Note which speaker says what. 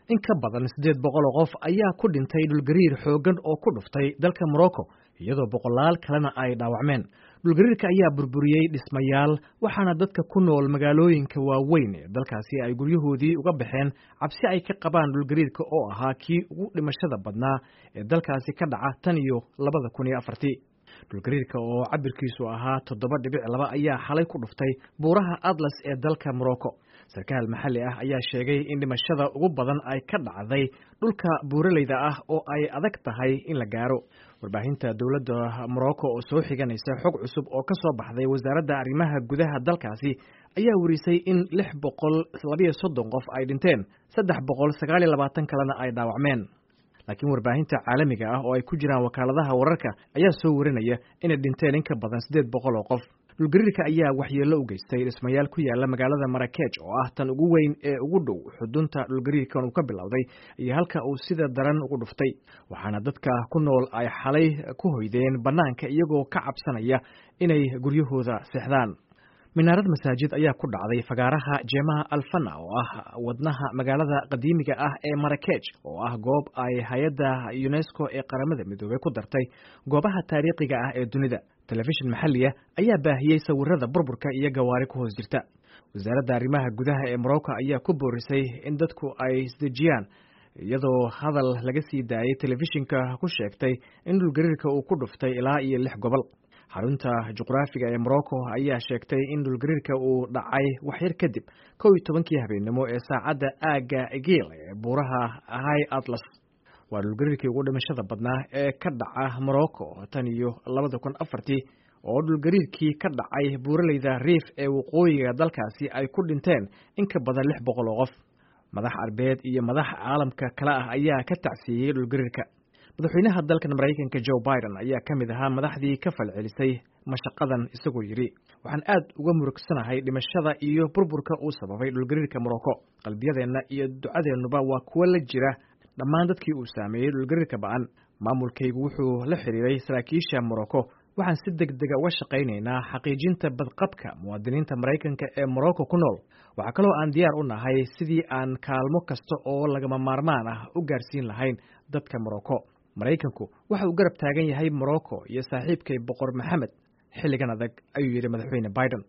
Speaker 1: In ka badan 800 oo qof ayaa ku dhintay dhulgariir xooggan oo ku dhuftay dalka Morocco, iyadoo boqolaal kalena ay dhaawacmeen. Dhulgariirka ayaa burburiyey dhismayaal, waxaana dadka ku nool magaalooyinka waaweyn ee dalkaasi ay guryahoodii uga baxeen cabsi ay ka qabaan dhulgariirka oo ahaa kii ugu dhimashada badnaa ee dalkaasi ka dhaca tan iyo 2004-tii. Dhulgariirka oo cabirkiisu ahaa 7.2 ayaa xalay ku dhuftay buuraha Atlas ee dalka Morocco. Sarkaal maxalli ah ayaa sheegay in dhimashada ugu badan ay ka dhacday dhulka buuraleyda ah oo ay adag tahay in la gaaro. Warbaahinta dowladda Morocco oo soo xiganaysa xog cusub oo ka soo baxday wasaaradda arrimaha gudaha dalkaasi ayaa warisay in 632 qof ay dhinteen, 329 kalena ay dhaawacmeen. Laakiin warbaahinta caalamiga ah oo ay ku jiraan wakaaladaha wararka ayaa soo warinaya inay dhinteen in ka badan 800 oo qof. Dhulgariirka ayaa waxyeello u geystay dhismayaal ku yaala magaalada Marakeej oo ah tan ugu weyn ee ugu dhow xudunta dhulgariirkan uu ka bilowday iyo halka uu sida daran ugu dhuftay, waxaana dadka ku nool ay xalay ku hoydeen bannaanka iyagoo ka cabsanaya inay guryahooda seexdaan. Minaarad masaajid ayaa ku dhacday fagaaraha Jeemaha Alfana oo ah wadnaha magaalada qadiimiga ah ee Marakeej, oo ah goob ay hay-adda UNESCO ee Qaramada Midoobey ku dartay goobaha taariikhiga ah ee dunida. Telefishin maxalliya ayaa baahiyey sawirada burburka iyo gawaari ku hoos jirta. Wasaaradda arrimaha gudaha ee Morocco ayaa ku boorisay in dadku ay isdejiyaan, iyadoo hadal laga sii daayey telefishinka ku sheegtay in dhulgariirka uu ku dhuftay ilaa iyo lix gobol. Xarunta juqraafiga ee Morocco ayaa sheegtay in dhulgariirka uu dhacay waxyar kadib 11-kii habeennimo ee saacadda aagga Egil ee buuraha High Atlas. Waa dhulgariirkii ugu dhimashada badnaa ee ka dhaca Morocco tan iyo 2004-tii, oo dhulgariirkii ka dhacay buuraleyda Riif ee waqooyiga dalkaasi ay ku dhinteen in ka badan 600 oo qof. Madax arbeed iyo madax caalamka kale ah ayaa ka tacsiiyey dhulgariirka. Madaxweynaha dalkan Maraykanka Joe Biden ayaa ka mid ahaa madaxdii ka falcelisay mashaqadan, isagoo yidhi: "Waxaan aad uga murugsanahay dhimashada iyo burburka uu sababay dhulgariirka Morocco. Qalbiyadeenna iyo ducadeennuba waa kuwo la jira dhammaan dadkii uu saameeyey dhulgariirka ba'an. Maamulkaygu wuxuu la xiriiray saraakiisha Morocco. Waxaan si deg dega uga shaqaynaynaa xaqiijinta badqabka muwaadiniinta Maraykanka ee Morocco ku nool. Waxaa kaloo aan diyaar u nahay sidii aan kaalmo kasta oo lagama maarmaan ah u gaarsiin lahayn dadka Morocco. Maraykanku waxa uu garab taagan yahay Morocco iyo saaxiibkay Boqor Maxamed xilligan adag," ayuu yidhi Madaxweyne Biden.